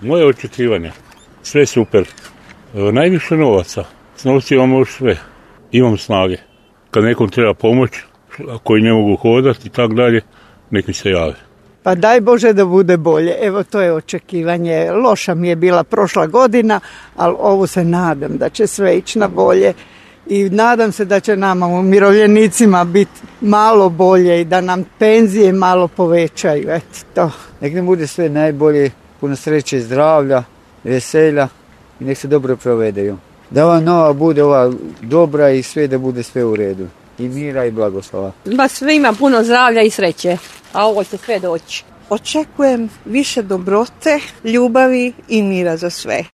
Moje očekivanje, sve super. Najviše novaca, s novcima može sve. Imam snage. Kad nekom treba pomoć, koji ne mogu hodati i tako dalje, neki se jave. Pa daj Bože da bude bolje. Evo, to je očekivanje. Loša mi je bila prošla godina, ali ovu se nadam da će sve ići na bolje. I nadam se da će nama umirovljenicima biti malo bolje i da nam penzije malo povećaju. Eto to. Nek nam bude sve najbolje, puno sreće i zdravlja, veselja i nek se dobro provedeju. Da ova nova bude ova dobra i sve da bude sve u redu. I mira i blagoslova. Sve ima puno zdravlja i sreće, a ovo će sve doći. Očekujem više dobrote, ljubavi i mira za sve.